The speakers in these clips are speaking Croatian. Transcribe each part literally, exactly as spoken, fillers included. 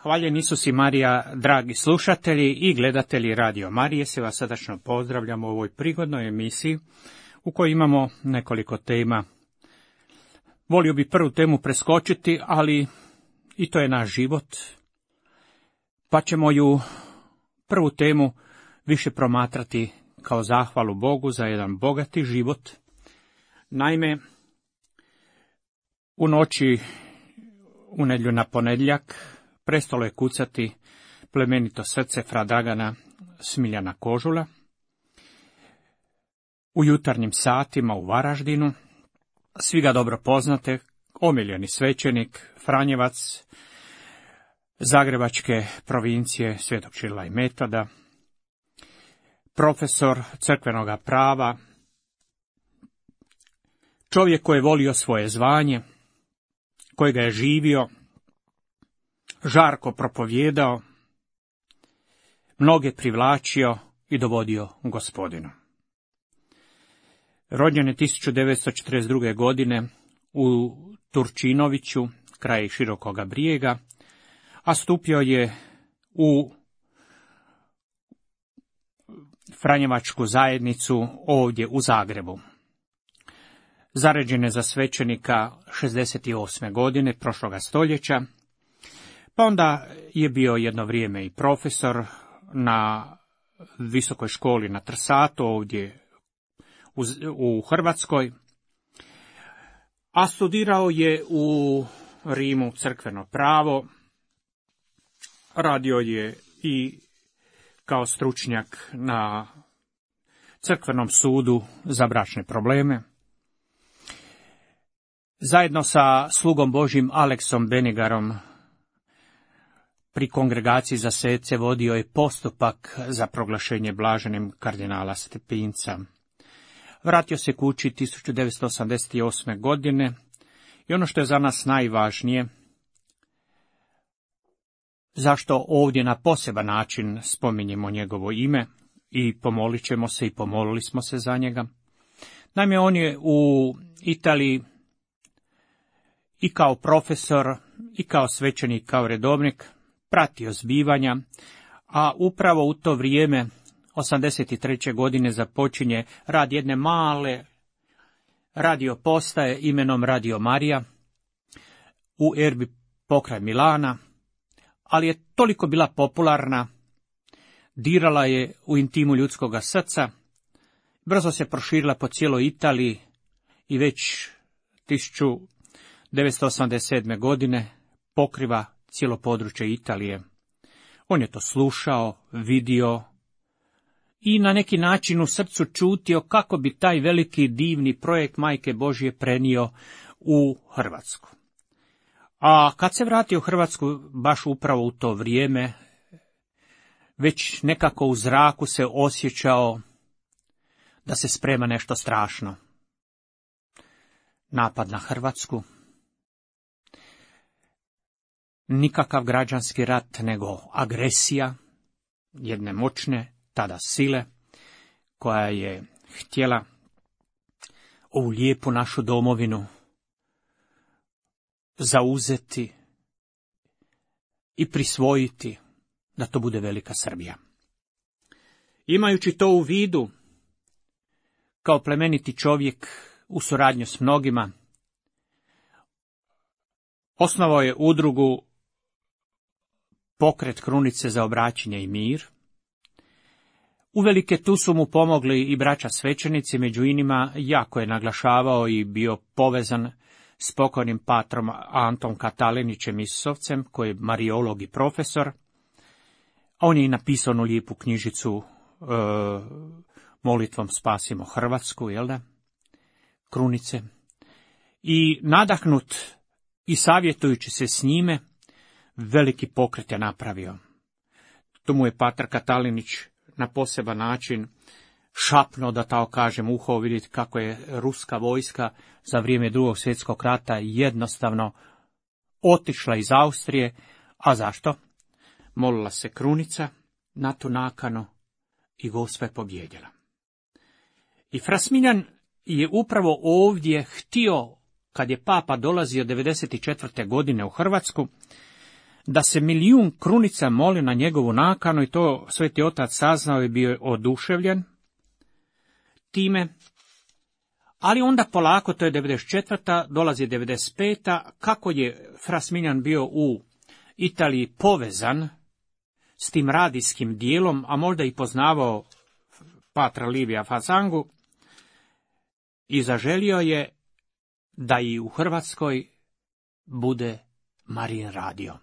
Hvaljen Isus i Marija, dragi slušatelji i gledatelji Radio Marije, se vas srdačno pozdravljamo u ovoj prigodnoj emisiji u kojoj imamo nekoliko tema. Volio bi prvu temu preskočiti, ali i to je naš život, pa ćemo ju prvu temu više promatrati kao zahvalu Bogu za jedan bogati život. Naime, u noći u nedjelju na ponedjeljak prestalo je kucati plemenito srce fra Dragana Smiljana Kožula. U jutarnjim satima u Varaždinu, svi ga dobro poznate, omiljeni svećenik, Franjevac, Zagrebačke provincije Svetog Ćirila i Metoda, profesor crkvenoga prava, čovjek koji je volio svoje zvanje, koji ga je živio, žarko propovjedao, mnoge privlačio i dovodio Gospodinu. Rođen je tisuću devetsto četrdeset druge. godine u Turčinoviću, kraj Širokoga Brijega, a stupio je u Franjevačku zajednicu ovdje u Zagrebu. Zaređen je za svećenika šezdeset osme. godine prošloga stoljeća, pa onda je bio jedno vrijeme i profesor na visokoj školi na Trsatu ovdje u, u Hrvatskoj, a studirao je u Rimu crkveno pravo, radio je i kao stručnjak na crkvenom sudu za bračne probleme. Zajedno sa slugom Božjim Aleksom Benigarom pri kongregaciji za sece vodio je postupak za proglašenje blaženim kardinala Stepinca. Vratio se kući tisuću devetsto osamdeset osme. godine i ono što je za nas najvažnije, zašto ovdje na poseban način spominjemo njegovo ime i pomolit ćemo se i pomolili smo se za njega. Naime, on je u Italiji i kao profesor, i kao svećenik, kao redovnik pratio zbivanja, a upravo u to vrijeme, osamdeset treće. godine, započinje rad jedne male radio postaje imenom Radio Marija u Erbi pokraj Milana, ali je toliko bila popularna, dirala je u intimu ljudskoga srca, brzo se proširila po cijeloj Italiji i već tisuću devetsto osamdeset sedme. godine pokriva cijelo područje Italije. On je to slušao, vidio i na neki način u srcu čutio kako bi taj veliki divni projekt Majke Božje prenio u Hrvatsku. A kad se vratio u Hrvatsku, baš upravo u to vrijeme, već nekako u zraku se osjećao da se sprema nešto strašno. Napad na Hrvatsku. Nikakav građanski rat, nego agresija jedne moćne tada sile, koja je htjela ovu lijepu našu domovinu zauzeti i prisvojiti, da to bude velika Srbija. Imajući to u vidu, kao plemeniti čovjek u suradnju s mnogima, osnovao je udrugu Pokret Krunice za obraćanje i mir. Uvelike tu su mu pomogli i braća svećenici, među inima jako je naglašavao i bio povezan s pokojnim patrom Antom Katalinićem Isusovcem, koji je mariolog i profesor, a on je i napisao onu lijepu knjižicu e, molitvom Spasimo Hrvatsku, jel da, Krunice. I nadahnut i savjetujući se s njime, veliki pokret je napravio. Tu mu je patar Katalinić na poseban način šapno, da tako kažem, uho, vidjeti kako je ruska vojska za vrijeme Drugog svjetskog rata jednostavno otišla iz Austrije. A zašto? Molila se Krunica na tu nakanu i Gospa je pobjedila. I fra Smiljan je upravo ovdje htio, kad je papa dolazio devedeset četvrte. godine u Hrvatsku, da se milijun krunica moli na njegovu nakanu i to Sveti Otac saznao i bio je oduševljen time. Ali onda polako, to je devedeset četvrta, dolazi devedeset peta, kako je fra Smiljan bio u Italiji povezan s tim radijskim dijelom, a možda i poznavao patra Livija Fasangu, i zaželio je da i u Hrvatskoj bude Marijin radio.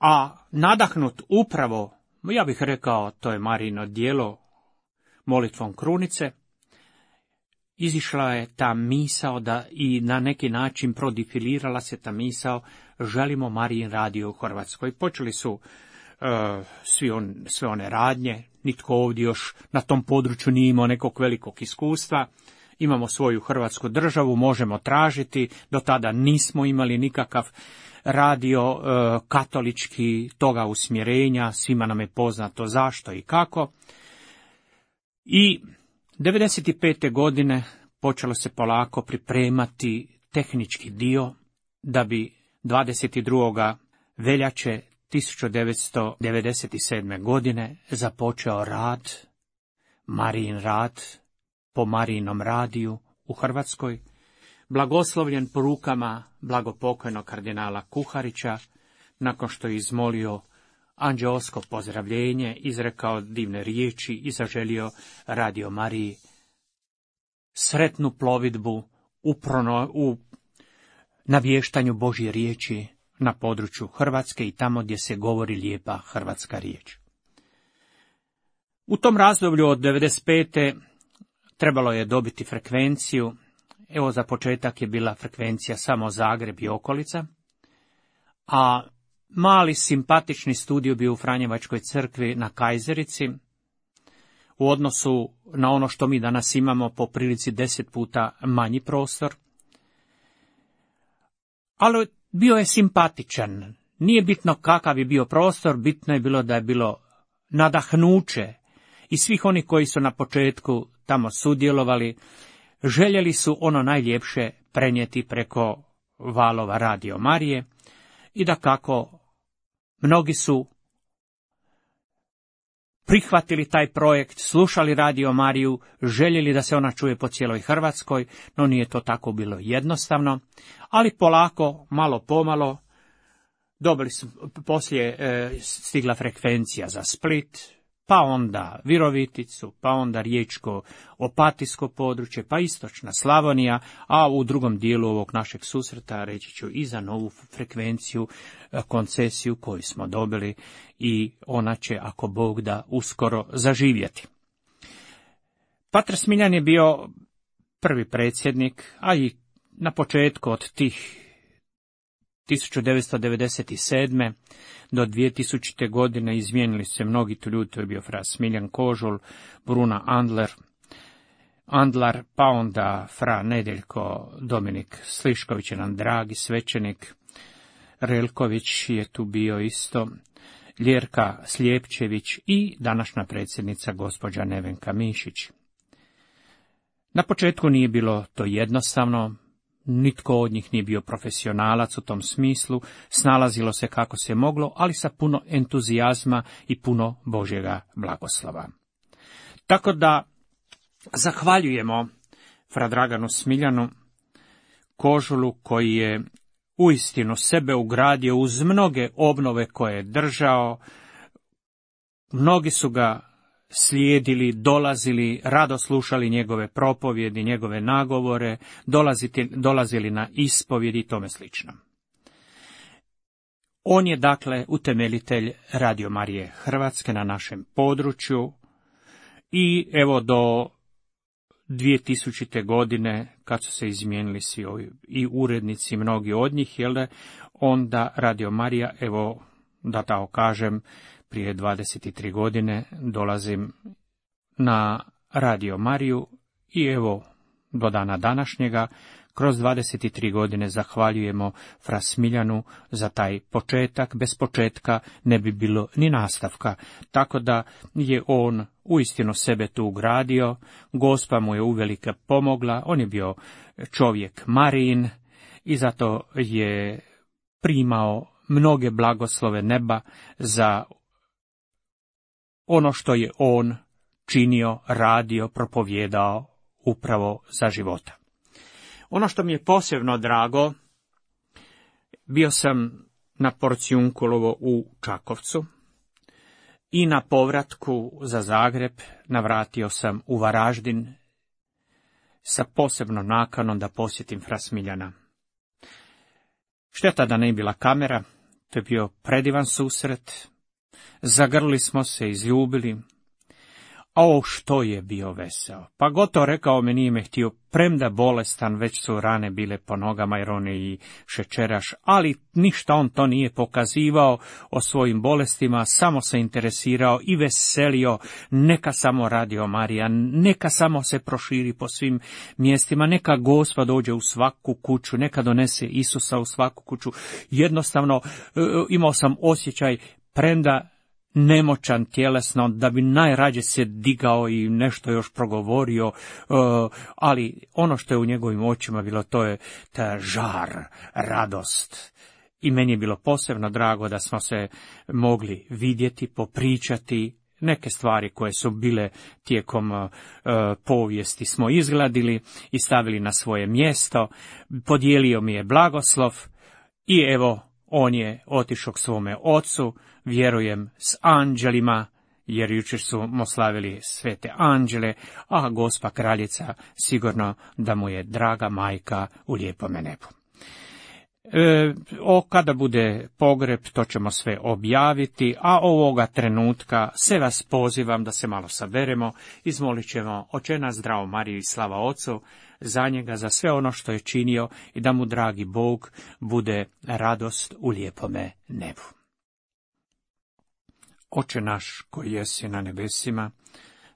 A nadahnut upravo, ja bih rekao, to je Marijino djelo, molitvom krunice, izišla je ta misao da i na neki način prodifilirala se ta misao, želimo Marijin radio u Hrvatskoj. Počeli su uh, svi on, sve one radnje, nitko ovdje još na tom području nije imao nekog velikog iskustva. Imamo svoju Hrvatsku državu, možemo tražiti, do tada nismo imali nikakav radio uh, katolički toga usmjerenja, svima nam je poznato zašto i kako. I devedeset pete godine počelo se polako pripremati tehnički dio da bi dvadeset drugoga veljače tisuću devetsto devedeset sedme. godine započeo rad, Marijin rad, po Marijinom radiju u Hrvatskoj, blagoslovljen porukama blagopokojnog kardinala Kuharića, nakon što je izmolio anđeosko pozdravljenje, izrekao divne riječi i zaželio Radio Mariji sretnu plovidbu u, prono, u navještanju Božje riječi na području Hrvatske i tamo gdje se govori lijepa hrvatska riječ. U tom razdoblju od devedeset pete trebalo je dobiti frekvenciju. Evo, za početak je bila frekvencija samo Zagreb i okolica, a mali simpatični studio bio u Franjevačkoj crkvi na Kajzerici, u odnosu na ono što mi danas imamo po prilici deset puta manji prostor. Ali bio je simpatičan. Nije bitno kakav je bio prostor, bitno je bilo da je bilo nadahnuće i svih oni koji su na početku tamo sudjelovali, željeli su ono najljepše prenijeti preko valova Radio Marije i da kako mnogi su prihvatili taj projekt, slušali Radio Mariju, željeli da se ona čuje po cijeloj Hrvatskoj, no nije to tako bilo jednostavno, ali polako, malo pomalo, dobili su, poslije e, stigla frekvencija za Split, pa onda Viroviticu, pa onda Riječko Opatijsko područje, pa istočna Slavonija, a u drugom dijelu ovog našeg susreta reći ću i za novu frekvenciju, koncesiju koju smo dobili i ona će, ako Bog da, uskoro zaživjeti. Pater Smiljan je bio prvi predsjednik, a i na početku od tih tisuću devetsto devedeset sedme. do dvije tisućite. godine izmijenili se mnogi tu ljudi, to je bio fra Smiljan Kožul, Bruna Andler, Andlar, pa onda fra Nedeljko Dominik Slišković je nam dragi svećenik, Relković je tu bio isto, Ljerka Slijepčević i današnja predsjednica gospođa Nevenka Mišić. Na početku nije bilo to jednostavno, nitko od njih nije bio profesionalac u tom smislu, snalazilo se kako se moglo, ali sa puno entuzijazma i puno Božjega blagoslova. Tako da zahvaljujemo fra Draganu Smiljanu Kožulu koji je uistinu sebe ugradio uz mnoge obnove koje je držao. Mnogi su ga slijedili, dolazili, rado slušali njegove propovjedi, njegove nagovore, dolaziti, dolazili na ispovjedi i tome slično. On je dakle utemeljitelj Radio Marije Hrvatske na našem području i evo do dvije tisućite. godine, kad su se izmijenili svi ovi i urednici, mnogi od njih, jel da, onda Radio Marija, evo da tako kažem, prije dvadeset tri godine dolazim na Radio Mariju i evo do dana današnjega, kroz dvadeset tri godine zahvaljujemo fra Smiljanu za taj početak. Bez početka ne bi bilo ni nastavka, tako da je on uistinu sebe tu ugradio, Gospa mu je uvelike pomogla, on je bio čovjek Marijin i zato je primao mnoge blagoslove neba za ono što je on činio, radio, propovjedao upravo za života. Ono što mi je posebno drago, bio sam na Porciunkulovo u Čakovcu i na povratku za Zagreb navratio sam u Varaždin sa posebnom nakanom da posjetim fra Smiljana. Šteta da ne bila kamera, to je bio predivan susret, zagrlili smo se, izljubili, a o što je bio veseo. Pa gotovo rekao me, nije me htio, premda bolestan, već su rane bile po nogama jer on je i šećeraš, ali ništa on to nije pokazivao o svojim bolestima, samo se interesirao i veselio, neka samo radio Marija, neka samo se proširi po svim mjestima, neka Gospa dođe u svaku kuću, neka donese Isusa u svaku kuću. Jednostavno imao sam osjećaj, premda nemoćan tjelesno, da bi najrađe se digao i nešto još progovorio, ali ono što je u njegovim očima bilo, to je ta žar, radost. I meni je bilo posebno drago da smo se mogli vidjeti, popričati, neke stvari koje su bile tijekom uh, povijesti smo izgladili i stavili na svoje mjesto, podijelio mi je blagoslov i evo, on je otišao k svome ocu, vjerujem s anđelima, jer jučer su mu slavili svete anđele, a Gospa kraljica sigurno da mu je draga majka u lijepome nebu. E, o, kada bude pogreb, to ćemo sve objaviti, a ovoga trenutka se vas pozivam da se malo saberemo, izmolit ćemo Oče naš, zdravo Mariju i slava Ocu, za njega, za sve ono što je činio i da mu, dragi Bog, bude radost u lijepome nebu. Oče naš koji jesi na nebesima,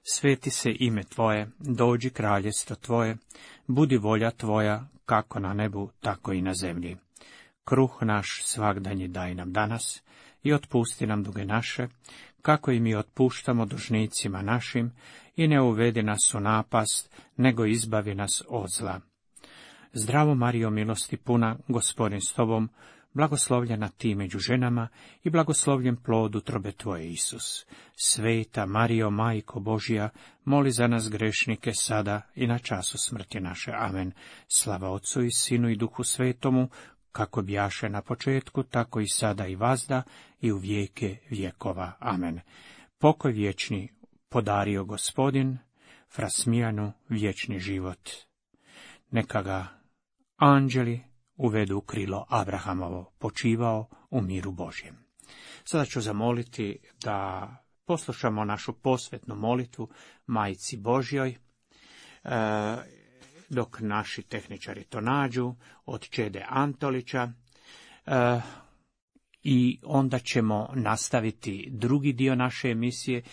sveti se ime Tvoje, dođi kraljestvo Tvoje, budi volja Tvoja, kako na nebu, tako i na zemlji. Kruh naš svagdanji daj nam danas i otpusti nam duge naše, kako i mi otpuštamo dužnicima našim, i ne uvedi nas u napast, nego izbavi nas od zla. Zdravo Marijo, milosti puna, Gospodin s Tobom, blagoslovljena ti među ženama i blagoslovljen plod utrobe Tvoje, Isus. Sveta Marijo, Majko Božja, moli za nas grešnike sada i na času smrti naše. Amen. Slava Otcu i Sinu i Duhu Svetomu, kako bjaše na početku, tako i sada i vazda i u vijeke vjekova. Amen. Pokoj vječni podario Gospodin, fra Smiljanu vječni život. Neka ga anđeli uvedu u krilo Abrahamovo, počivao u miru Božjem. Sada ću zamoliti da poslušamo našu posvetnu molitvu Majci Božjoj, e, dok naši tehničari to nađu, od Čede Antolića, e, i onda ćemo nastaviti drugi dio naše emisije.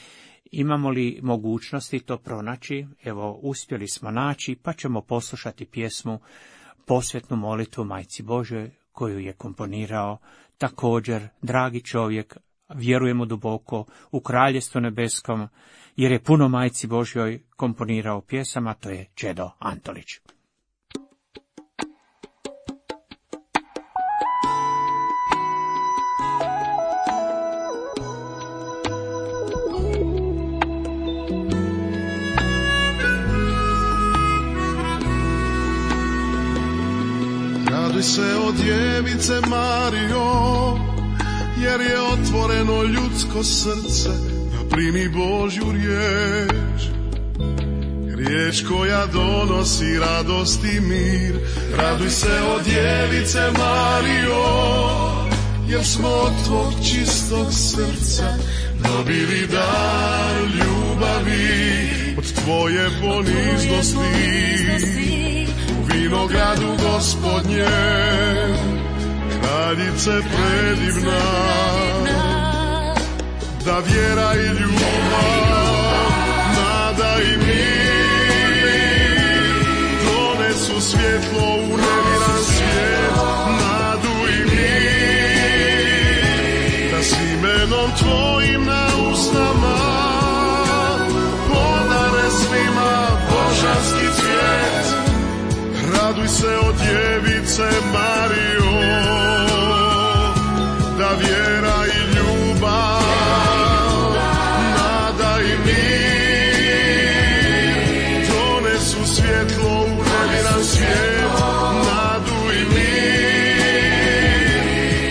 Imamo li mogućnosti to pronaći? Evo, uspjeli smo naći, pa ćemo poslušati pjesmu, posvetnu molitvu Majci Božjoj, koju je komponirao također dragi čovjek, vjerujemo duboko, u Kraljevstvu nebeskom, jer je puno Majci Božjoj komponirao pjesama, to je Čedo Antolić. Raduj se o djevice Marijo, jer je otvoreno ljudsko srce da primi Božju riječ. Riječ koja donosi radost i mir. Raduj se o djevice Marijo, jer smo od tvog čistog srca dobili dar ljubavi. Od tvoje poniznosti u vinogradu Gospodnjem, kraljice predivna, da vjera i ljubav, nada i mir donesu svjetlo u neviran svijet, nadu i mir, da s imenom tvojim na usnama podare svima božanski cvijet. Raduj se o djevice Marijo. vjera i ljubav, nada i mir, donesu svjetlo u neviran svijet, nadu i mir,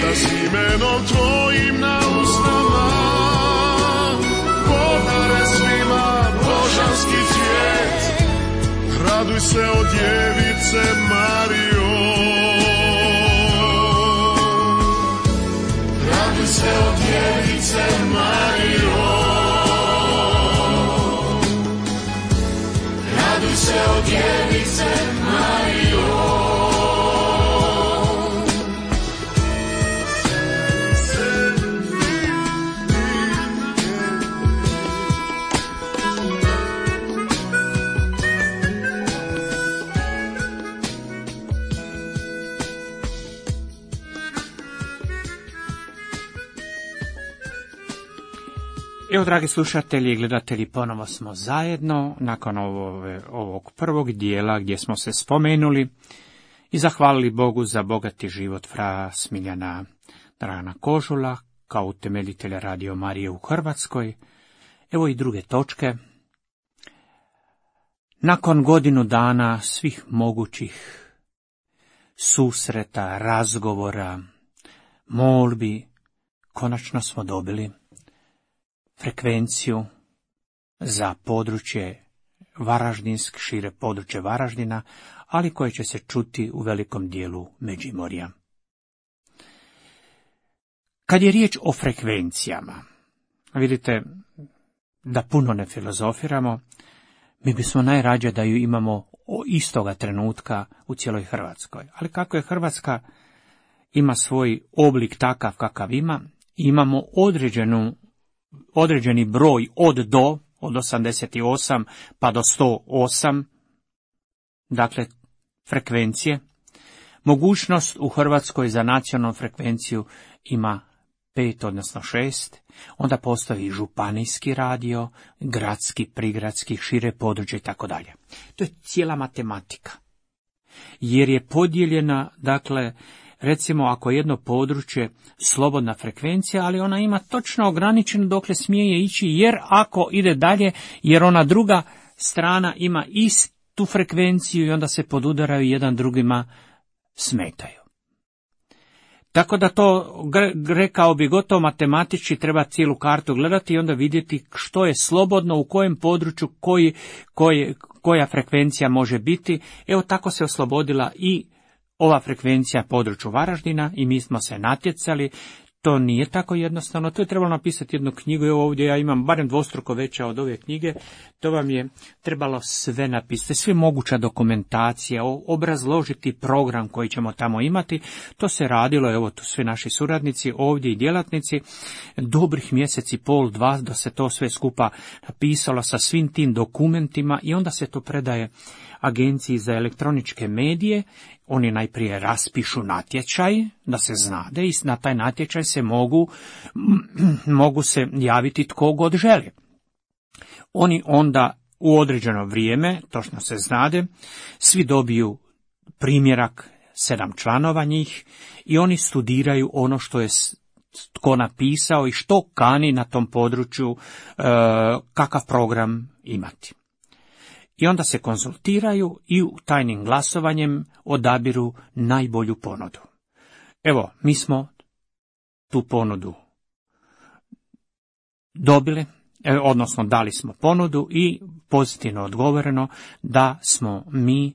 da s imenom tvojim na usnama podare svima božanski cvijet. Raduj se o djevice Marijo, raduj se o djevice Marijo, raduj se o djevice Marijo. Evo, dragi slušatelji i gledatelji, ponovo smo zajedno nakon ovog, ovog prvog dijela gdje smo se spomenuli i zahvalili Bogu za bogati život fra Smiljana Dragana Kožula kao utemeljitelja Radio Marije u Hrvatskoj. Evo i druge točke. Nakon godinu dana svih mogućih susreta, razgovora, molbi, konačno smo dobili frekvenciju za područje Varaždinsk, šire područje Varaždina, ali koje će se čuti u velikom dijelu Međimorja. Kad je riječ o frekvencijama, vidite da puno ne filozofiramo, mi bismo najrađe da ju imamo istoga trenutka u cijeloj Hrvatskoj. Ali kako je Hrvatska ima svoj oblik takav kakav ima, imamo određenu određeni broj od do, od osamdeset osam pa do sto osam, dakle frekvencije. Mogućnost u Hrvatskoj za nacionalnu frekvenciju ima pet, odnosno šest, onda postoji županijski radio, gradski, prigradski, šire područje i tako dalje. To je cijela matematika. Jer je podijeljena, dakle, recimo ako je jedno područje slobodna frekvencija, ali ona ima točno ograničeno dokle smije ići, jer ako ide dalje, jer ona druga strana ima istu frekvenciju i onda se podudaraju, jedan drugima smetaju. Tako da to, rekao bi, gotovo matematički treba cijelu kartu gledati i onda vidjeti što je slobodno, u kojem području, koji, koji, koja frekvencija može biti. Evo tako se oslobodila i ova frekvencija području Varaždina i mi smo se natjecali. To nije tako jednostavno, to je trebalo napisati jednu knjigu, evo ovdje ja imam barem dvostruko veća od ove knjige, to vam je trebalo sve napisati, sve moguća dokumentacija, obrazložiti program koji ćemo tamo imati, to se radilo, evo tu svi naši suradnici ovdje i djelatnici, dobrih mjeseci, pol, dva, da se to sve skupa napisalo sa svim tim dokumentima i onda se to predaje Agenciji za elektroničke medije. Oni najprije raspišu natječaj, da se znade, i na taj natječaj se mogu, mogu se javiti tko god želi. Oni onda u određeno vrijeme, točno se znade, svi dobiju primjerak, sedam članova njih, i oni studiraju ono što je tko napisao i što kani na tom području, e, kakav program imati. I onda se konzultiraju i tajnim glasovanjem odabiru najbolju ponudu. Evo, mi smo tu ponudu dobili, odnosno dali smo ponudu i pozitivno odgovoreno da smo mi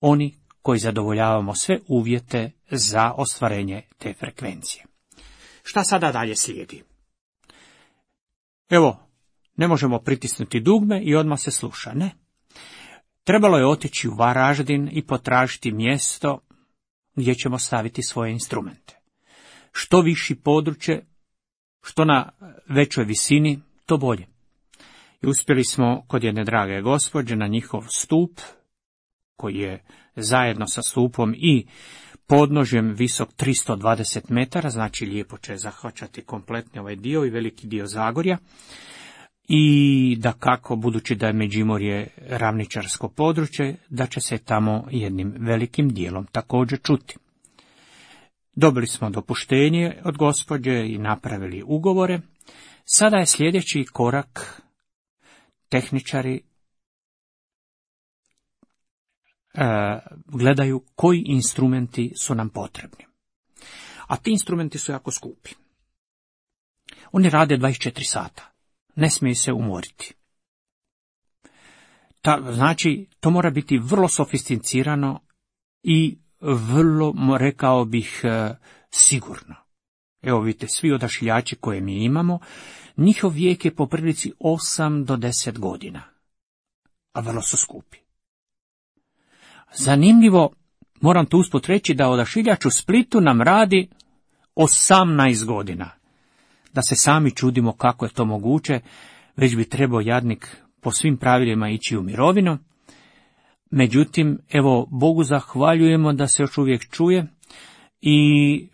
oni koji zadovoljavamo sve uvjete za ostvarenje te frekvencije. Šta sada dalje slijedi? Evo, ne možemo pritisnuti dugme i odmah se sluša, ne. Trebalo je otići u Varaždin i potražiti mjesto gdje ćemo staviti svoje instrumente. Što viši područje, što na većoj visini, to bolje. I uspjeli smo kod jedne drage gospođe na njihov stup, koji je zajedno sa stupom i podnožjem visok tristo dvadeset metara, znači lijepo će zahvaćati kompletni ovaj dio i veliki dio Zagorja. I da kako, budući da je Međimorje ravničarsko područje, da će se tamo jednim velikim dijelom također čuti. Dobili smo dopuštenje od gospođe i napravili ugovore. Sada je sljedeći korak, tehničari e, gledaju koji instrumenti su nam potrebni. A ti instrumenti su jako skupi. Oni rade dvadeset četiri sata. Ne smiju se umoriti. Ta, znači, to mora biti vrlo sofisticirano i vrlo, rekao bih, sigurno. Evo vidite, svi odašiljači koje mi imamo, njihov vijek je po prilici osam do deset godina, a vrlo su skupi. Zanimljivo, moram tu usput reći da odašiljač u Splitu nam radi osamnaest godina. Da se sami čudimo kako je to moguće, već bi trebao jadnik po svim pravilima ići u mirovinu. Međutim, evo, Bogu zahvaljujemo da se još uvijek čuje i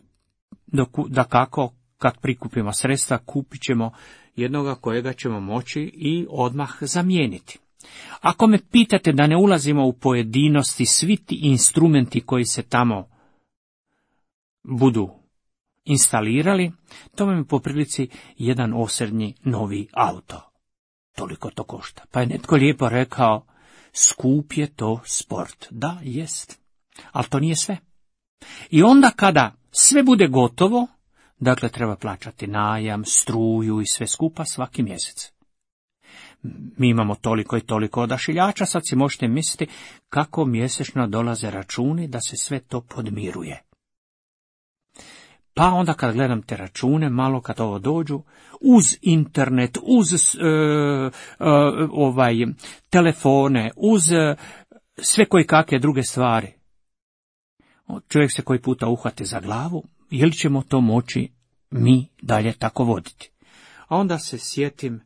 da kako, kad prikupimo sredstva, kupit ćemo jednoga kojega ćemo moći i odmah zamijeniti. Ako me pitate da ne ulazimo u pojedinosti, svi ti instrumenti koji se tamo budu instalirali, to vam je po prilici jedan osrednji novi auto. Toliko to košta. Pa je netko lijepo rekao, skup je to sport. Da, jest. Ali to nije sve. I onda kada sve bude gotovo, dakle treba plaćati najam, struju i sve skupa svaki mjesec. Mi imamo toliko i toliko odašiljača, sad si možete misliti kako mjesečno dolaze računi da se sve to podmiruje. Pa onda kad gledam te račune, malo kad ovo dođu, uz internet, uz uh, uh, ovaj telefone, uz uh, sve koje kakve druge stvari, čovjek se koji puta uhvati za glavu, je li ćemo to moći mi dalje tako voditi? A onda se sjetim,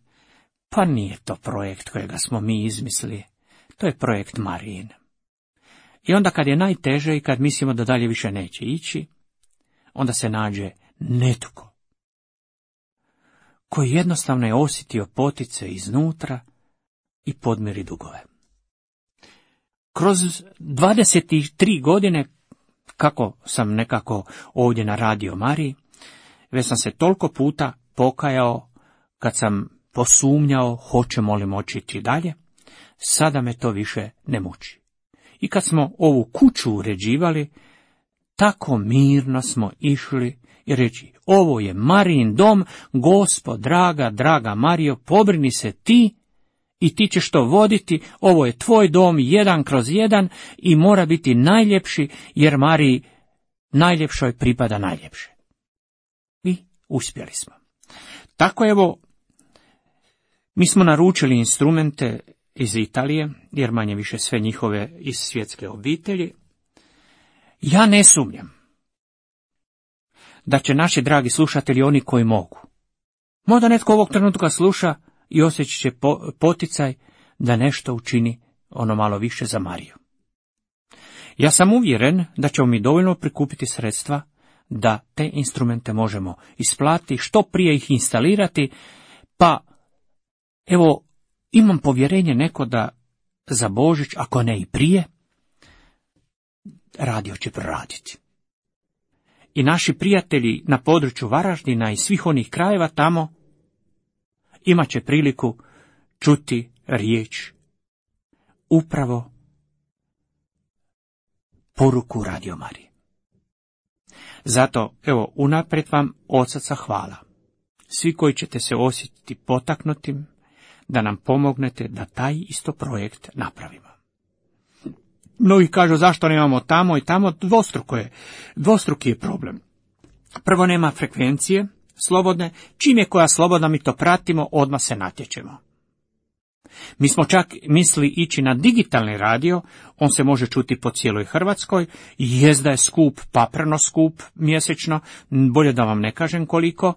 pa nije to projekt kojega smo mi izmislili, to je projekt Marijin. I onda kad je najteže i kad mislimo da dalje više neće ići, onda se nađe netko koji jednostavno je osjetio potice iznutra i podmiri dugove. Kroz dvadeset tri godine, kako sam nekako ovdje na Radio Mariji, već sam se toliko puta pokajao kad sam posumnjao hoćemo li moći ići dalje, sada me to više ne muči. I kad smo ovu kuću uređivali, tako mirno smo išli i reći, ovo je Marijin dom, Gospod, draga, draga Marijo, pobrini se ti i ti ćeš to voditi, ovo je tvoj dom jedan kroz jedan i mora biti najljepši, jer Mariji najljepšoj pripada najljepše. I uspjeli smo. Tako evo, mi smo naručili instrumente iz Italije, jer manje više sve njihove iz svjetske obitelji. Ja ne sumnjam da će naši dragi slušatelji, oni koji mogu, možda netko ovog trenutka sluša i osjećat će poticaj da nešto učini ono malo više za Mariju. Ja sam uvjeren da ćemo mi dovoljno prikupiti sredstva da te instrumente možemo isplatiti, što prije ih instalirati, pa evo, imam povjerenje neko da za Božić, ako ne i prije, radio će proraditi. I naši prijatelji na području Varaždina i svih onih krajeva tamo imat će priliku čuti riječ, upravo poruku Radio Marije. Zato, evo, unaprijed vam od srca hvala. Svi koji ćete se osjetiti potaknutim, da nam pomognete da taj isto projekt napravimo. Mnogi kažu zašto nemamo tamo i tamo, dvostruko je, dvostruki je problem. Prvo, nema frekvencije slobodne, čim je koja slobodna mi to pratimo, odmah se natječemo. Mi smo čak mislili ići na digitalni radio, on se može čuti po cijeloj Hrvatskoj, jest da je skup, papreno skup mjesečno, bolje da vam ne kažem koliko,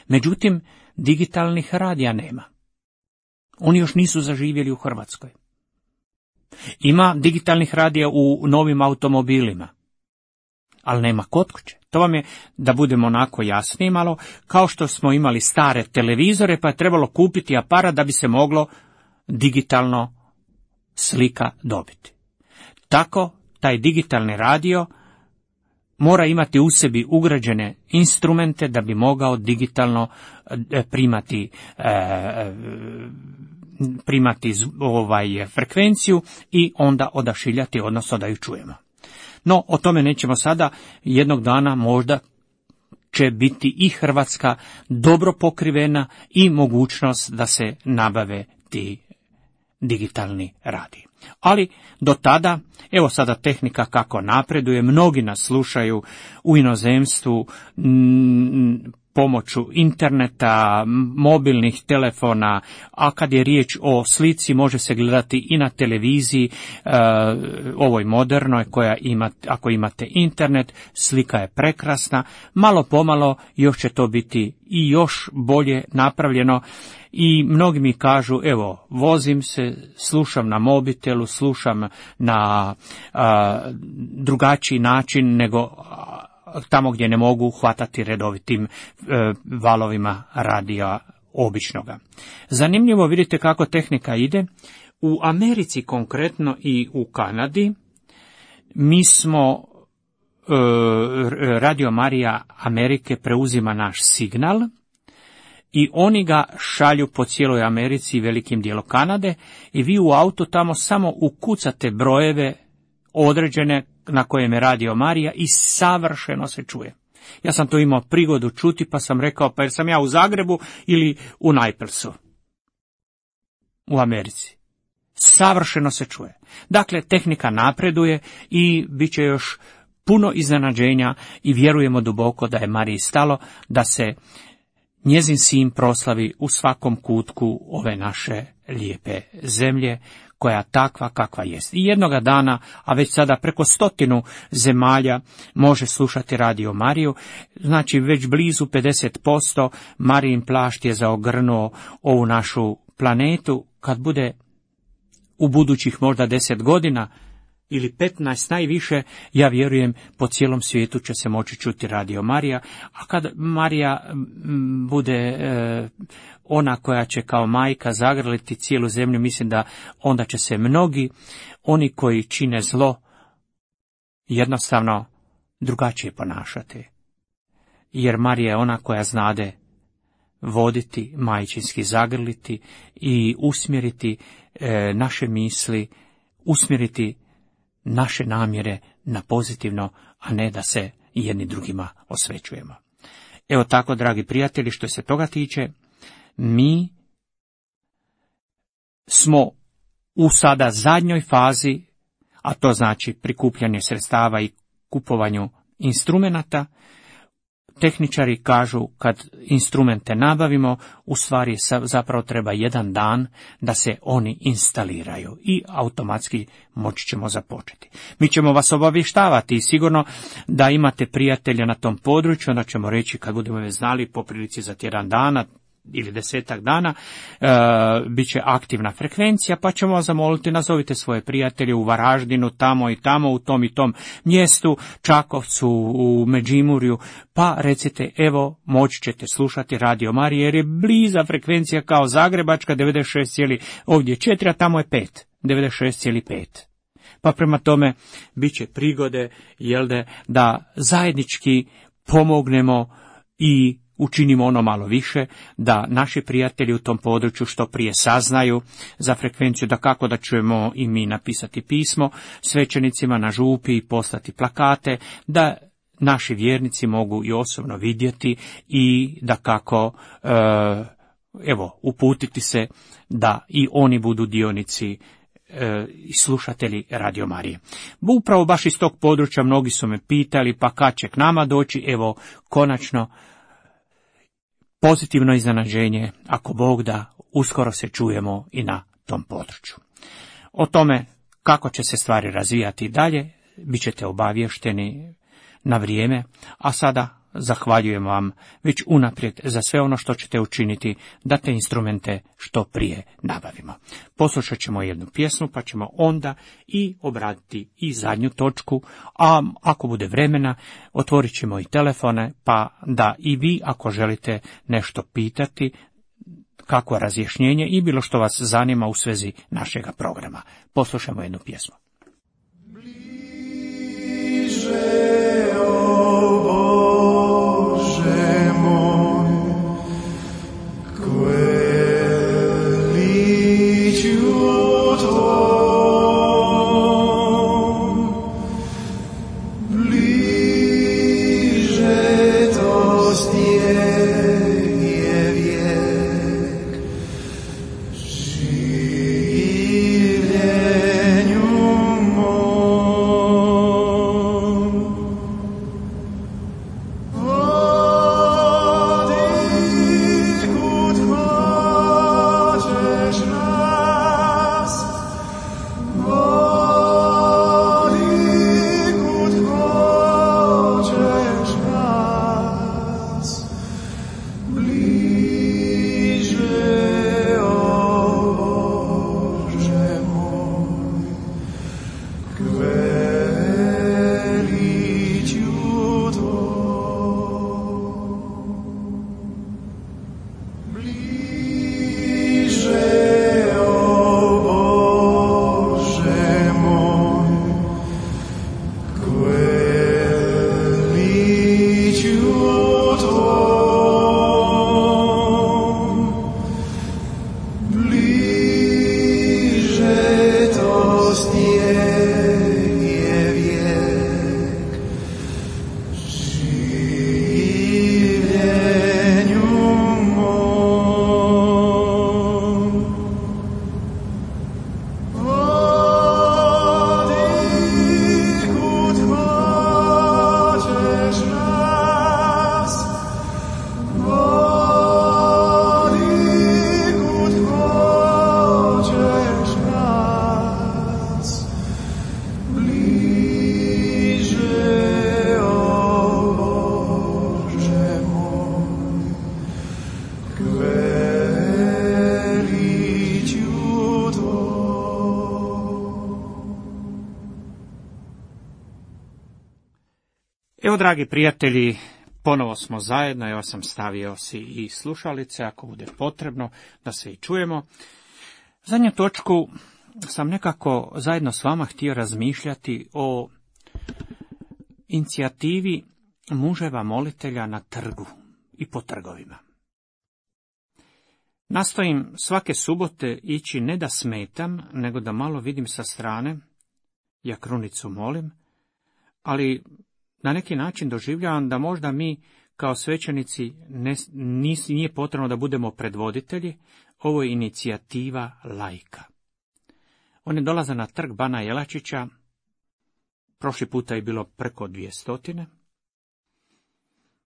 međutim, digitalnih radija nema. Oni još nisu zaživjeli u Hrvatskoj. Ima digitalnih radija u novim automobilima, ali nema kod kuće. To vam je, da budemo onako jasniji malo, kao što smo imali stare televizore, pa je trebalo kupiti aparat da bi se moglo digitalno slika dobiti. Tako, taj digitalni radio mora imati u sebi ugrađene instrumente da bi mogao digitalno primati e, primati ovaj frekvenciju i onda odašiljati, odnosno da ju čujemo. No, o tome nećemo sada. Jednog dana možda će biti i Hrvatska dobro pokrivena i mogućnost da se nabave ti digitalni radiji. Ali do tada, evo sada tehnika kako napreduje, mnogi nas slušaju u inozemstvu, m, pomoću interneta, mobilnih telefona, a kad je riječ o slici može se gledati i na televiziji, e, ovoj modernoj koja ima, ako imate internet, slika je prekrasna, malo pomalo još će to biti i još bolje napravljeno. I mnogi mi kažu, evo, vozim se, slušam na mobitelu, slušam na a, drugačiji način nego a, tamo gdje ne mogu hvatati redovitim e, valovima radija običnoga. Zanimljivo, vidite kako tehnika ide. U Americi konkretno i u Kanadi mi smo, e, Radio Marija Amerike preuzima naš signal i oni ga šalju po cijeloj Americi i velikim dijelom Kanade i vi u autu tamo samo ukucate brojeve određene na kojem je Radio Marija i savršeno se čuje. Ja sam to imao prigodu čuti pa sam rekao, pa jer sam ja u Zagrebu ili u Naplesu u Americi. Savršeno se čuje. Dakle, tehnika napreduje i bit će još puno iznenađenja i vjerujemo duboko da je Mariji stalo da se njezin sin proslavi u svakom kutku ove naše lijepe zemlje, koja takva kakva jest. I jednoga dana, a već sada preko stotinu zemalja može slušati Radio Mariju, znači već blizu pedeset posto Marijin plašt je zaogrnuo ovu našu planetu. Kad bude u budućih možda deset godina ili petnaest najviše, ja vjerujem po cijelom svijetu će se moći čuti Radio Marija, a kad Marija m, bude e, ona koja će kao majka zagrliti cijelu zemlju, mislim da onda će se mnogi, oni koji čine zlo, jednostavno drugačije ponašati. Jer Marija je ona koja znade voditi, majčinski zagrliti i usmjeriti e, naše misli, usmjeriti naše namjere na pozitivno, a ne da se jedni drugima osvećujemo. Evo tako, dragi prijatelji, što se toga tiče, mi smo u sada zadnjoj fazi, a to znači prikupljanje sredstava i kupovanju instrumenata. Tehničari kažu kad instrumente nabavimo, u stvari zapravo treba jedan dan da se oni instaliraju i automatski moći ćemo započeti. Mi ćemo vas obavještavati i sigurno da imate prijatelja na tom području, onda ćemo reći kad budemo već znali po prilici za tjedan dana ili desetak dana, e, bit će aktivna frekvencija, pa ćemo vas zamoliti, nazovite svoje prijatelje u Varaždinu, tamo i tamo, u tom i tom mjestu, Čakovcu, u Međimurju, pa recite, evo, moći ćete slušati Radio Marija, jer je bliza frekvencija kao Zagrebačka, devedeset šest zarez ovdje četiri, a tamo je pet, devedeset šest zarez pet. Pa prema tome, bit će prigode, jel de, da zajednički pomognemo i učinimo ono malo više, da naši prijatelji u tom području što prije saznaju za frekvenciju, da kako da ćemo i mi napisati pismo svećenicima na župi i poslati plakate, da naši vjernici mogu i osobno vidjeti i da kako, e, evo, uputiti se da i oni budu dionici i slušatelji Radio Marije. Upravo baš iz tog područja mnogi su me pitali, pa kad će k nama doći, evo, konačno, pozitivno iznenađenje, ako Bog da, uskoro se čujemo i na tom području. O tome kako će se stvari razvijati dalje, bit ćete obavješteni na vrijeme, a sada zahvaljujem vam već unaprijed za sve ono što ćete učiniti da te instrumente što prije nabavimo. Poslušat ćemo jednu pjesmu, pa ćemo onda i obraditi i zadnju točku, a ako bude vremena, otvorit ćemo i telefone, pa da i vi, ako želite nešto pitati, kako razjašnjenje i bilo što vas zanima u svezi našega programa. Poslušajmo jednu pjesmu. Bliže Evo, dragi prijatelji, ponovo smo zajedno, evo sam stavio si i slušalice, ako bude potrebno, da se i čujemo. Zadnju točku sam nekako zajedno s vama htio razmišljati o inicijativi muževa molitelja na trgu i po trgovima. Nastojim svake subote ići ne da smetam, nego da malo vidim sa strane, ja krunicu molim, ali na neki način doživljavam da možda mi kao svećenici ne, nis, nije potrebno da budemo predvoditelji, ovo je inicijativa laika. Oni dolaze na trg Bana Jelačića, prošli puta je bilo preko dvije stotine,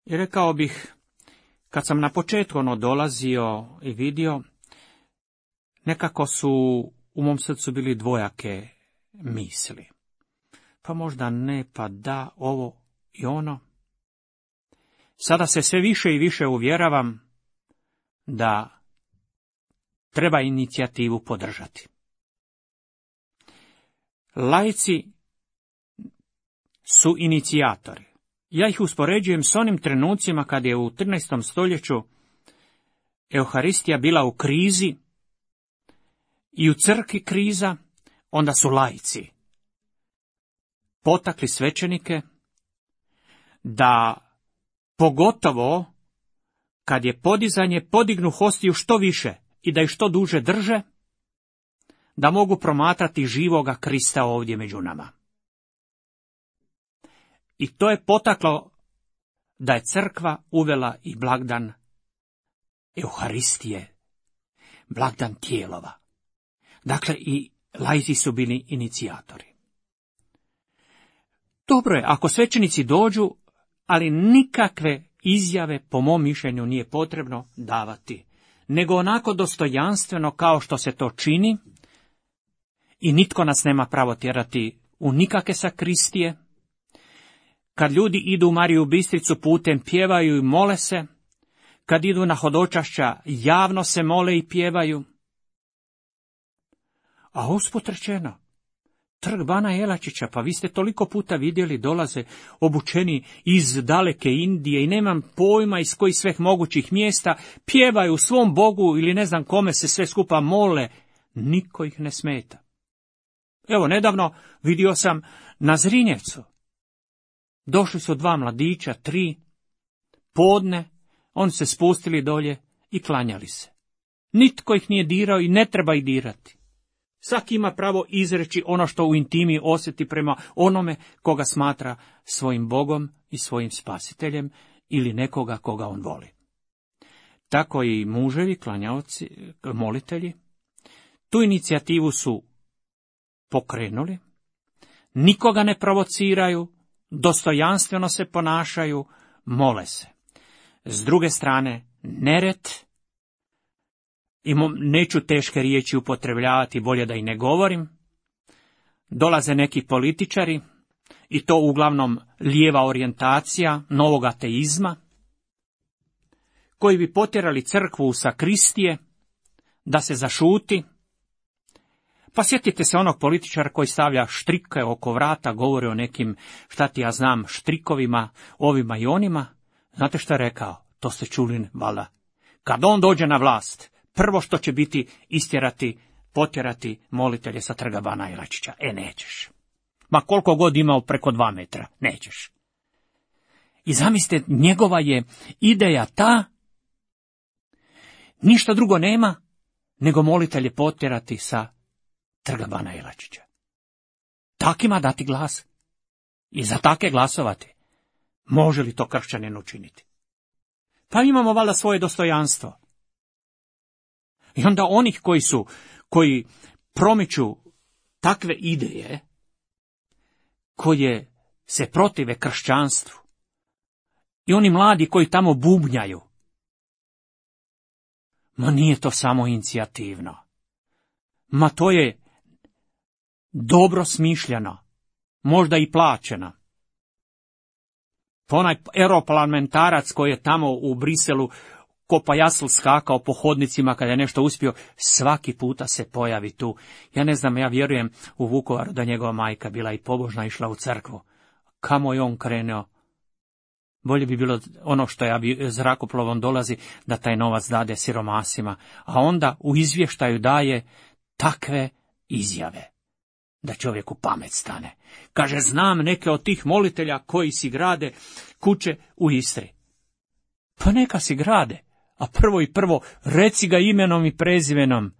i rekao bih, kad sam na početku ono dolazio i vidio, nekako su u mom srcu bili dvojake misli. Pa možda ne, pa da, ovo i ono. Sada se sve više i više uvjeravam da treba inicijativu podržati. Laici su inicijatori. Ja ih uspoređujem s onim trenucima kad je u trinaestom stoljeću Euharistija bila u krizi i u crkvi kriza, onda su laici potakli svećenike da pogotovo kad je podizanje podignu hostiju što više i da ih što duže drže, da mogu promatrati živoga Krista ovdje među nama. I to je potaklo da je crkva uvela i blagdan Euharistije, blagdan tijelova. Dakle, i laici su bili inicijatori. Dobro je, ako svećenici dođu, ali nikakve izjave, po mom mišljenju, nije potrebno davati, nego onako dostojanstveno kao što se to čini, i nitko nas nema pravo tjerati u nikakve sakristije. Kad ljudi idu u Mariju Bistricu putem pjevaju i mole se, kad idu na hodočašća javno se mole i pjevaju. A usput rečeno, trg Bana Jelačića, pa vi ste toliko puta vidjeli, dolaze obučeni iz daleke Indije i nemam pojma iz kojih sveh mogućih mjesta, pjevaju svom Bogu ili ne znam kome se sve skupa mole, niko ih ne smeta. Evo, nedavno vidio sam na Zrinjevcu. Došli su dva mladića, tri, podne, oni se spustili dolje i klanjali se. Nitko ih nije dirao i ne treba ih dirati. Svaki ima pravo izreći ono što u intimi osjeti prema onome koga smatra svojim Bogom i svojim spasiteljem ili nekoga koga on voli. Tako i muževi, klanjaoci, molitelji, tu inicijativu su pokrenuli, nikoga ne provociraju, dostojanstveno se ponašaju, mole se. S druge strane, nered, i neću teške riječi upotrebljavati, bolje da i ne govorim, dolaze neki političari, i to uglavnom lijeva orijentacija novog ateizma, koji bi potjerali crkvu u sakristije, da se zašuti. Pa sjetite se onog političara koji stavlja štrike oko vrata, govori o nekim, šta ti ja znam, štrikovima, ovima i onima. Znate što je rekao? To ste čuli, valjda. Kad on dođe na vlast, prvo što će biti istjerati, potjerati molitelje sa trga Bana Jelačića. E, nećeš. Ma koliko god imao preko dva metra, nećeš. I zamislite, njegova je ideja ta, ništa drugo nema, nego molitelje potjerati sa trga Bana Jelačića. Takima dati glas i za take glasovati. Može li to kršćanin učiniti? Pa imamo valjda svoje dostojanstvo. I onda onih koji su, koji promiču takve ideje, koje se protive kršćanstvu, i oni mladi koji tamo bubnjaju, ma nije to samo inicijativno. Ma to je dobro smišljeno, možda i plaćeno. Pa onaj europarlamentarac koji je tamo u Briselu ko pajasl skakao po hodnicima kada je nešto uspio, svaki puta se pojavi tu. Ja ne znam, ja vjerujem u Vukovaru da njegova majka bila i pobožna, išla u crkvu. Kamo je on krenuo? Bolje bi bilo ono što ja bi zrakoplovom dolazi, da taj novac dade siromasima, a onda u izvještaju daje takve izjave da čovjeku pamet stane. Kaže, znam neke od tih molitelja koji si grade kuće u Istri. Pa neka si grade, a prvo i prvo reci ga imenom i prezimenom.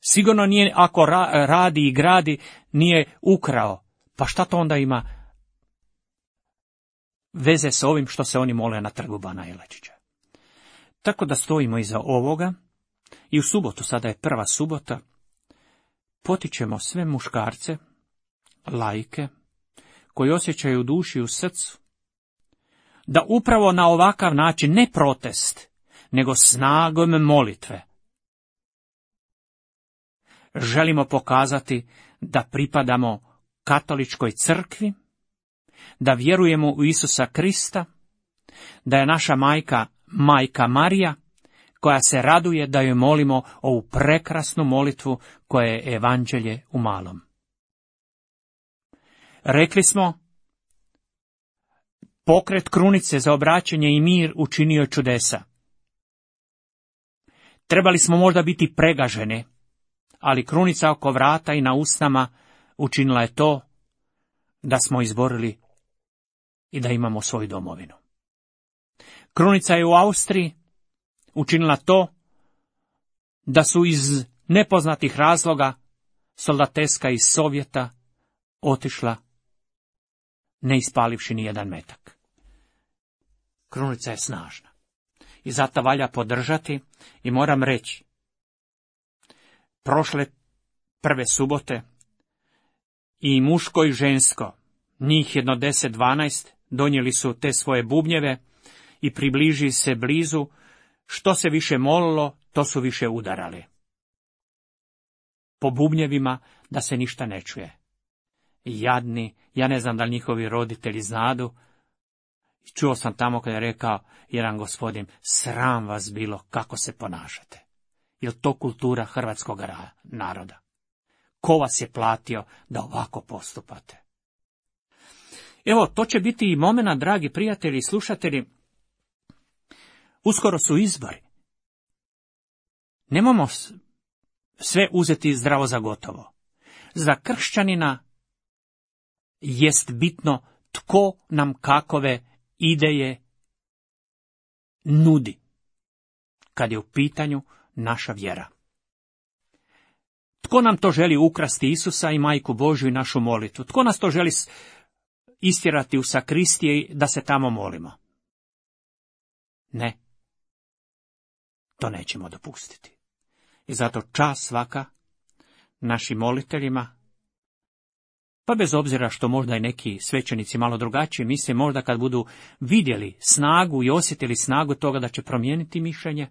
Sigurno nije, ako ra- radi i gradi, nije ukrao. Pa šta to onda ima veze s ovim što se oni mole na trgu Bana Jelačića? Tako da stojimo iza ovoga i u subotu, sada je prva subota, potičemo sve muškarce, laike, koji osjećaju u duši i u srcu, da upravo na ovakav način, ne protest, nego snagom molitve, želimo pokazati da pripadamo katoličkoj crkvi, da vjerujemo u Isusa Krista, da je naša majka, majka Marija, koja se raduje da joj molimo ovu prekrasnu molitvu koja je evanđelje u malom. Rekli smo, pokret krunice za obraćanje i mir učinio čudesa. Trebali smo možda biti pregaženi, ali krunica oko vrata i na usnama učinila je to da smo izborili i da imamo svoju domovinu. Krunica je u Austriji učinila to da su iz nepoznatih razloga soldateska iz Sovjeta otišla ne ispalivši ni jedan metak. Krunica je snažna i zato valja podržati i moram reći, prošle prve subote i muško i žensko, njih jedno deset dvanaest, donijeli su te svoje bubnjeve i približi se blizu. Što se više molilo, to su više udarali po bubnjevima da se ništa ne čuje. Jadni, ja ne znam da li njihovi roditelji znadu. Čuo sam tamo kada je rekao jedan gospodin, sram vas bilo kako se ponašate. Je li to kultura hrvatskog naroda? Ko vas je platio da ovako postupate? Evo, to će biti i momena, dragi prijatelji i slušatelji. Uskoro su izbori. Nemojmo sve uzeti zdravo za gotovo. Za kršćanina jest bitno tko nam kakove ideje nudi, kad je u pitanju naša vjera. Tko nam to želi ukrasti Isusa i Majku Božju i našu molitvu? Tko nas to želi istjerati u sakristije da se tamo molimo? Ne. To nećemo dopustiti. I zato čast svaka našim moliteljima, pa bez obzira što možda i neki svećenici malo drugačije misle, možda kad budu vidjeli snagu i osjetili snagu toga da će promijeniti mišljenje,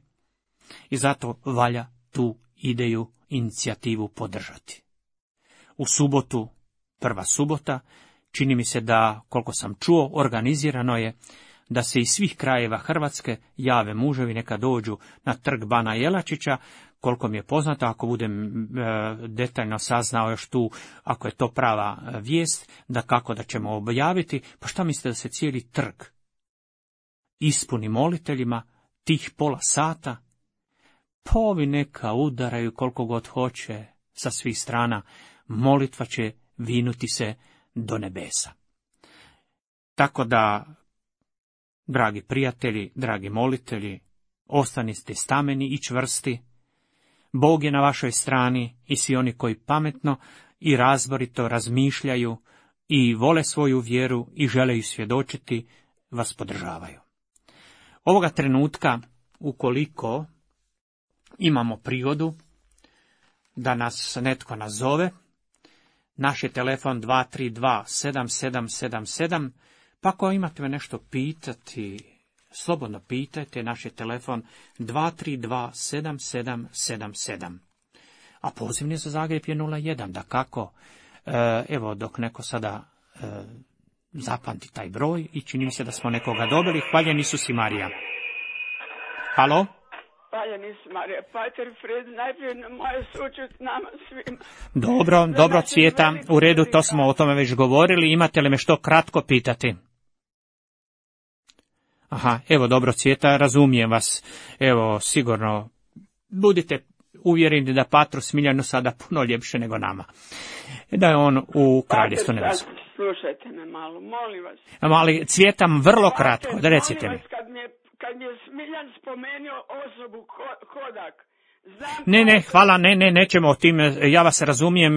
i zato valja tu ideju, inicijativu podržati. U subotu, prva subota, čini mi se da, koliko sam čuo, organizirano je da se iz svih krajeva Hrvatske jave muževi, neka dođu na trg Bana Jelačića. Koliko mi je poznato, ako budem e, detaljno saznao još tu, ako je to prava e, vijest, da kako da ćemo objaviti, pa šta mislite da se cijeli trg ispuni moliteljima tih pola sata? Pa ovi neka udaraju koliko god hoće sa svih strana, molitva će vinuti se do nebesa. Tako da, dragi prijatelji, dragi molitelji, ostanite stameni i čvrsti. Bog je na vašoj strani i svi oni koji pametno i razborito razmišljaju i vole svoju vjeru i žele ju svjedočiti, vas podržavaju. Ovoga trenutka, ukoliko imamo prigodu da nas netko nazove, naš je telefon dva tri dva sedam sedam sedam sedam, pa ako imate me nešto pitati, slobodno pitajte, naš je telefon dva tri dva sedam sedam sedam sedam. A pozivni za Zagreb je nula jedan, da kako, e, evo dok neko sada e, zapamti taj broj i čini mi se da smo nekoga dobili. Hvaljen Isus i Marija. Halo? Hvaljen Isus Marija, Pater Fred, najprije na moje sučut nama svima. Dobro, dobro Cvjeta, u redu, to smo o tome već govorili. Imate li me što kratko pitati? Aha, evo dobro, Cvjeta, razumijem vas. Evo, sigurno, budite uvjereni da Patru Smiljanu sada puno ljepše nego nama. Da je on u kraljevstvu nebesu. Slušajte me malo, molim vas. Ali Cvjetam vrlo kratko, da recite mi. Molim vas, kad mi je, kad mi je Smiljan spomenuo osobu Kodak, znam... Ne, ne, hvala, ne, ne, nećemo o tim, ja vas razumijem,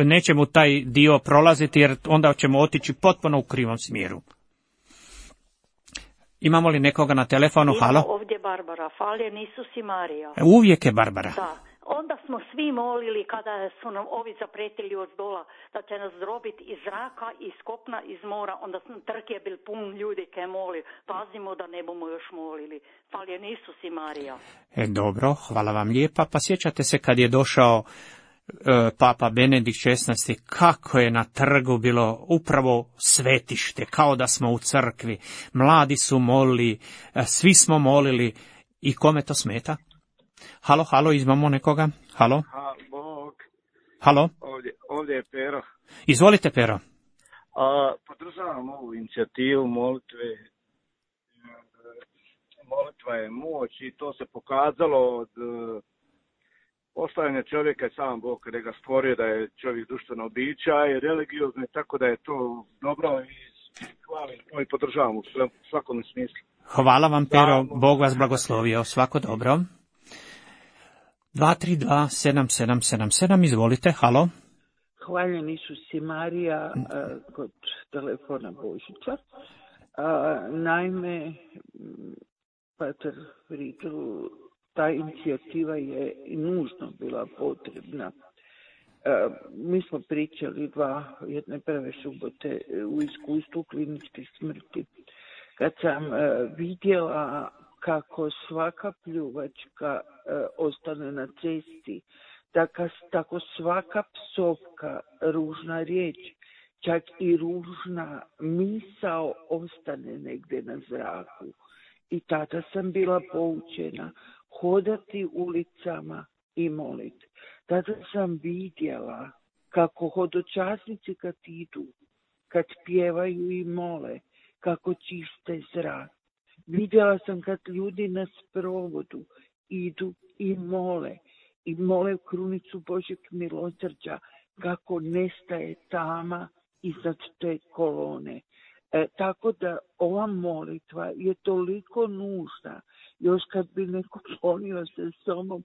nećemo taj dio prolaziti, jer onda ćemo otići potpuno u krivom smjeru. Imamo li nekoga na telefonu? Ima Halo? ovdje Barbara, faljen Isus i Marija. Uvijek je Barbara. Da. Onda smo svi molili kada su nam ovi zapretili od dola da će nas drobiti iz zraka, iz kopna, iz mora. Onda sam trg je bil pun ljudi kaj moli. Pazimo da ne bomo još molili. Faljen Isus i Marija. E, dobro, hvala vam lijepa. Pa sjećate se kad je došao e, Papa Benedikt šesnaesti, kako je na trgu bilo upravo svetište, kao da smo u crkvi. Mladi su molili, e, svi smo molili. I kome to smeta? Halo, halo, imamo nekoga? Halo? Ha, Bog. Halo? Ovdje, ovdje je Pero. Izvolite, Pero. A, podržavam ovu inicijativu molitve. Molitva je moć i to se pokazalo od uh, postavljanja čovjeka i sam Bog kada ga stvorio da je čovjek društveno bića i religiozno, tako da je to dobro i hvalim to i podržavam u svakom smislu. Hvala vam, Pero, Bog vas blagoslovio, svako dobro. dva tri dva sedam sedam sedam sedam, izvolite, halo. Hvaljen Isus i Marija uh, kod telefona Božića. Uh, naime, Pater Friedl, ta inicijativa je nužno bila potrebna. Uh, mi smo pričali dva, jedne prve subote u iskustvu kliničke smrti. Kad sam uh, vidjela kako svaka pljuvačka uh, ostane na cesti, tako, tako svaka psovka, ružna riječ, čak i ružna misao ostane negdje na zraku. I tada sam bila poučena hodati ulicama i moliti. Tada sam vidjela kako hodočasnici kad idu, kad pjevaju i mole, kako čiste zrak. Vidjela sam kad ljudi na sprovodu idu i mole, i mole krunicu Božjeg milosrđa, kako nestaje tama iznad te kolone. E, tako da ova molitva je toliko nužna, još kad bi neko ponio se somom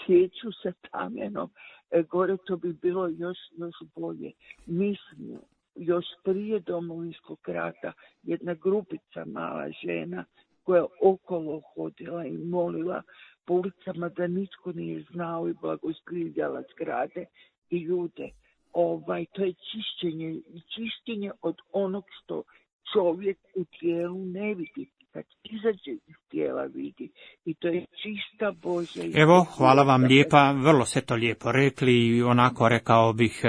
svijeću sa tamenom, e, gore to bi bilo još, još bolje. Mislim, još prije Domovinskog rata jedna grupica mala žena koja je okolo hodila i molila po ulicama da nitko nije znao i blagoskrivljala zgrade i ljude. Ovaj, to je čišćenje, čišćenje od onog što čovjek u tijelu ne vidi, kad izađe iz tijela vidi. I to je čista Božja. Evo, hvala vam lijepa, vrlo ste to lijepo rekli i onako rekao bih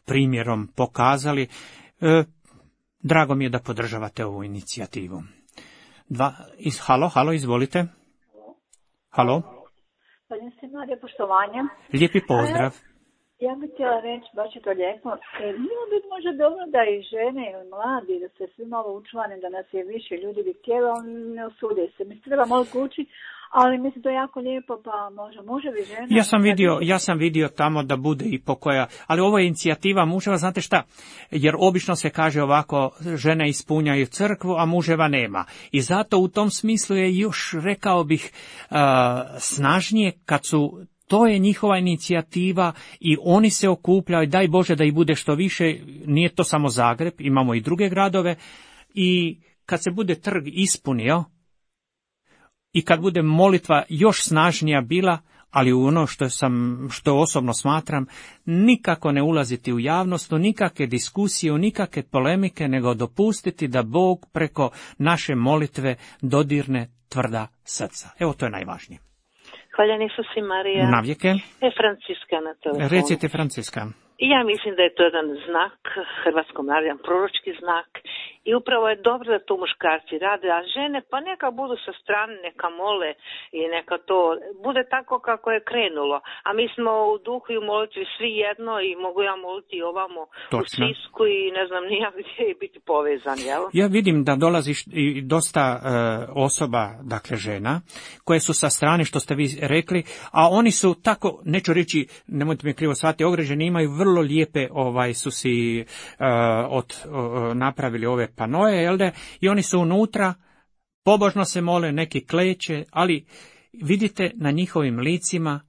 primjerom pokazali. E, drago mi je da podržavate ovu inicijativu. Dva, iz, halo, halo, izvolite. Halo. Hvala se, Marija, poštovanje. Lijepi pozdrav. Ja bih htjela reći, baš je to lijepo, bilo bi možda dobro da i žene ili mladi, da se svi malo učlane, da nas je više ljudi bi htjeli, ali ne osude se. Mi se treba malo kući, ali mislim to je jako lijepo, pa može, može bi žena. Ja sam vidio, ja sam vidio tamo da bude i pokoja, ali ovo je inicijativa muževa, znate šta, jer obično se kaže ovako, žene ispunjaju crkvu, a muževa nema. I zato u tom smislu je još, rekao bih, uh, snažnije kad su, to je njihova inicijativa i oni se okupljaju, daj Bože da ih bude što više, nije to samo Zagreb, imamo i druge gradove, i kad se bude trg ispunio, i kad bude molitva još snažnija bila, ali u ono što sam, što osobno smatram, nikako ne ulaziti u javnost, u nikakve diskusije, u nikakve polemike, nego dopustiti da Bog preko naše molitve dodirne tvrda srca. Evo, to je najvažnije. Hvala Isus i Marija. Navijeke. E, Franciska na telefonu. Recite, Franciska. I ja mislim da je to jedan znak hrvatskom narodu, jedan proročki znak I upravo je dobro da to muškarci rade, a žene pa neka budu sa strane, neka mole i neka to bude tako kako je krenulo. A mi smo u duhu i u molitvi svi jedno i mogu ja moliti ovamo Točno. u Sisku i ne znam nijak gdje i biti povezan, jel? Ja vidim da dolazi i dosta e, osoba, dakle žena, koje su sa strane, što ste vi rekli, a oni su tako, neću reći, nemojte mi krivo shvatiti, ogreženi, imaju vrlo lijepe, ovaj, su si e, od, o, napravili ove panoje, jel de, i oni su unutra, pobožno se mole, neki kleče, ali vidite na njihovim licima,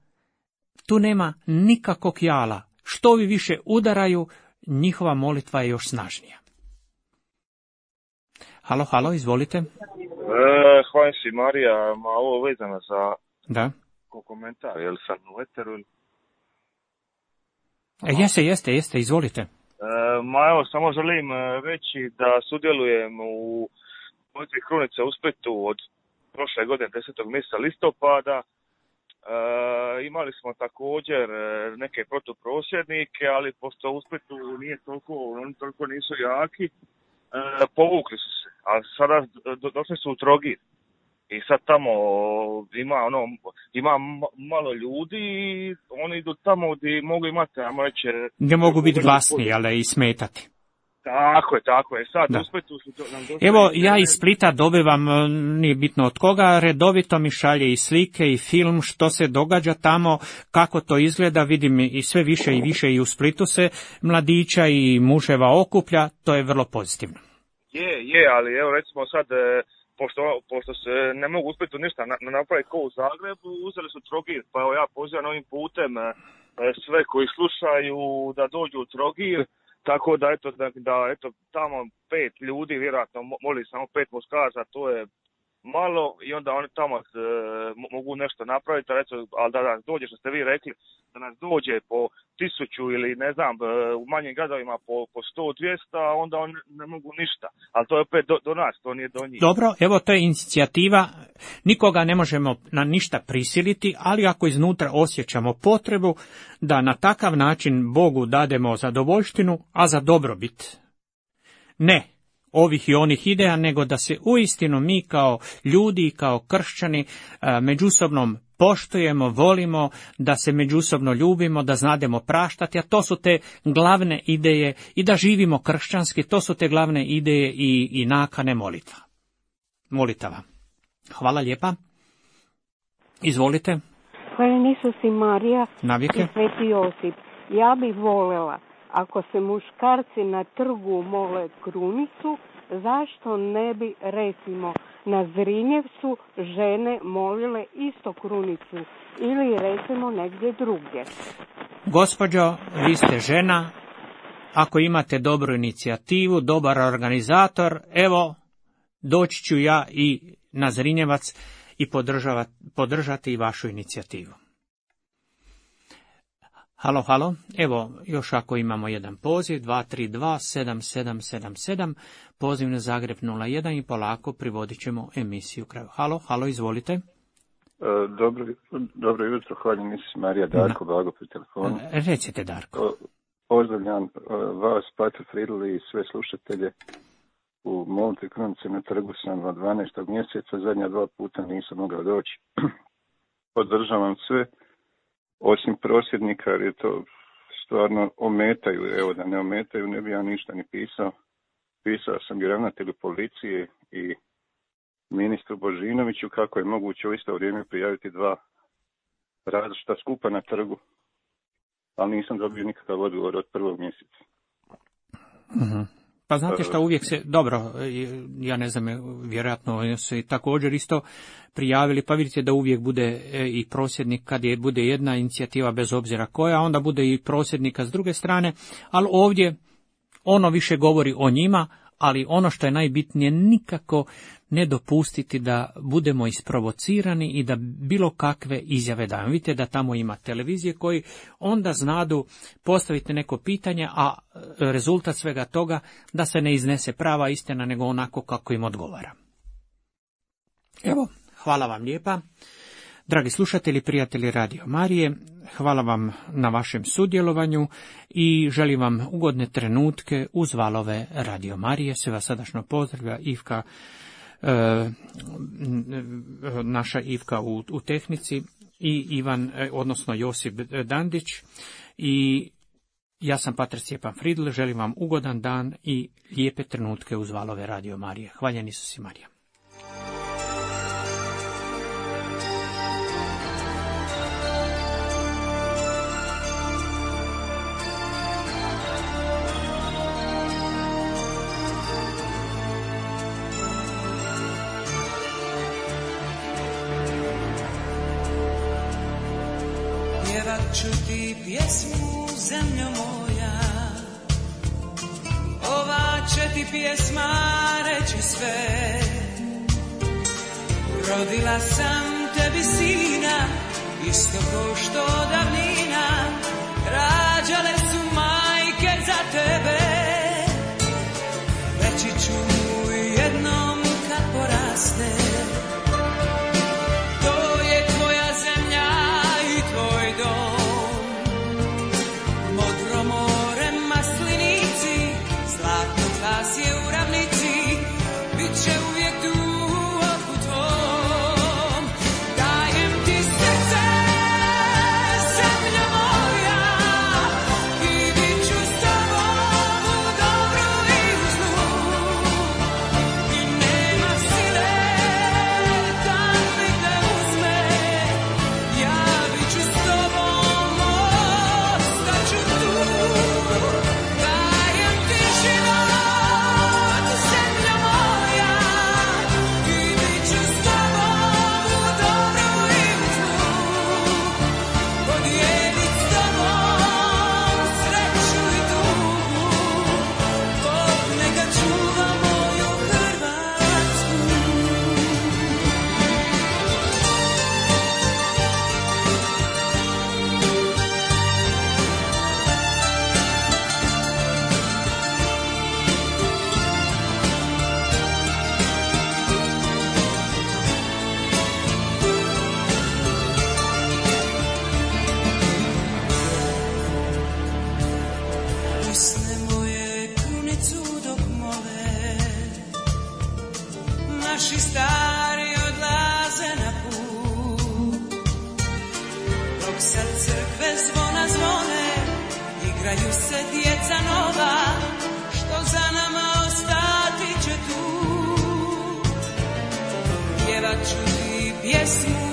tu nema nikakvog jala. Što vi više udaraju, njihova molitva je još snažnija. Halo, halo, izvolite. E, hvala si, Marija, ma ovo vezano za da. komentar, je li sam u eteru? E, jeste, jeste, jeste, izvolite. E, ma evo, samo želim reći da sudjelujem u molitvi Krunice u Splitu od prošle godine, desetog mjeseca listopada. E, imali smo također neke protuprosvjednike, ali pošto u Splitu nije toliko, oni toliko nisu jaki, e, povukli su se, a sada do, došli su u Trogir. I sad tamo ima ono ima malo ljudi i oni idu tamo gdje mogu imati, ajmo reći, gdje mogu biti glasni, ali i smetati. Tako je, tako je. Sad da. u Splitu su to nam došli. Evo, ja iz Splita dobivam, nije bitno od koga, redovito mi šalje i slike i film što se događa tamo, kako to izgleda, vidim i sve više i više i u Splitu se mladića i muževa okuplja, to je vrlo pozitivno. Je, je, ali evo recimo sad, pošto, pošto se ne mogu uspjeti ništa napraviti ko u Zagrebu, uzeli su Trogir, pa evo ja pozivam ovim putem sve koji slušaju da dođu u Trogir. Tako da, eto, da, da eto, tamo pet ljudi, vjerojatno moli samo pet muškaraca, to je malo i onda oni tamo e, mogu nešto napraviti, eto, ali da nas dođe, što ste vi rekli, da nas dođe po tisuću ili ne znam, u manjim gradovima po, po sto dvjesto, onda oni ne mogu ništa, ali to je opet do, do nas, to nije do njih. Dobro, evo to je inicijativa, nikoga ne možemo na ništa prisiliti, ali ako iznutra osjećamo potrebu da na takav način Bogu dademo zadovoljštinu, a za dobrobit. Ne ovih i onih ideja, nego da se uistinu mi kao ljudi, kao kršćani, međusobnom poštujemo, volimo, da se međusobno ljubimo, da znademo praštati, a to su te glavne ideje, i da živimo kršćanski, to su te glavne ideje i, i nakane molitva. Molitava. Hvala lijepa. Izvolite. Hvala Isus i Marija Navijeke. I Sveti Josip. Ja bih voljela, ako se muškarci na trgu mole krunicu, zašto ne bi, recimo, na Zrinjevcu žene molile isto krunicu ili recimo negdje drugdje? Gospođo, vi ste žena, ako imate dobru inicijativu, dobar organizator, evo, doći ću ja i na Zrinjevac i podržati i vašu inicijativu. Halo, halo, evo, još ako imamo jedan poziv, dva tri dva sedam sedam sedam sedam, poziv na Zagreb nula jedan i polako privodit ćemo emisiju kraju. Halo, halo, izvolite. Dobro, dobro jutro, hvala Isus Marija, Darko, Blago pri telefonu. Recite, Darko. Pozdravljam vas, Pater Fridl i sve slušatelje. U molitvi Krunice na trgu sam od dvanaestog mjeseca, zadnja dva puta nisam mogao doći. Podržavam sve, osim prosvjednika, jer je to stvarno ometaju, evo da ne ometaju, ne bi ja ništa ni pisao. Pisao sam i ravnatelju policije i ministru Božinoviću kako je moguće u isto vrijeme prijaviti dva različita skupa na trgu, ali nisam dobio nikakav odgovor od prvog mjeseca. Uh-huh. Pa znate šta, uvijek se, dobro, ja ne znam, vjerojatno se također isto prijavili, pa vidite da uvijek bude i prosvjednik, kad je bude jedna inicijativa bez obzira koja, onda bude i prosvjednika s druge strane, ali ovdje ono više govori o njima, ali ono što je najbitnije, nikako ne dopustiti da budemo isprovocirani i da bilo kakve izjave daju. Vidite da tamo ima televizije koji onda znadu postaviti neko pitanje, a rezultat svega toga da se ne iznese prava istina, nego onako kako im odgovara. Evo, hvala vam lijepa. Dragi slušatelji, prijatelji Radio Marije, hvala vam na vašem sudjelovanju i želim vam ugodne trenutke uz valove Radio Marije. Sve vas srdačno pozdravlja Ivka, e, naša Ivka u, u tehnici i Ivan, odnosno Josip Dandić, i ja sam pater Stjepan Fridl. Želim vam ugodan dan i lijepe trenutke uz valove Radio Marije. Hvaljen Isus i Marija. Ću ti pjesmu, zemljo moja, ova će ti pjesma reći sve. Rodila sam tebi sina, isto ko što davnina rađale su majke za tebe. Reći ću mu jednom kad poraste, to je tvoja zemlja i tvoj dom. Glas je u ravnici, bit će uvijek tu u oku tvom. Dajem ti srce, zemljo moja, i bit ću s tobom u dobru i u zlu. I nema sile da mi te uzme, ja bit ću s tobom, ostaću tu. Dajem ti život, naši stari odlaze na put, dok sad crkve zvona zvone, igraju se djeca nova, što za nama ostati će tu. Pjevat ću ti pjesmu,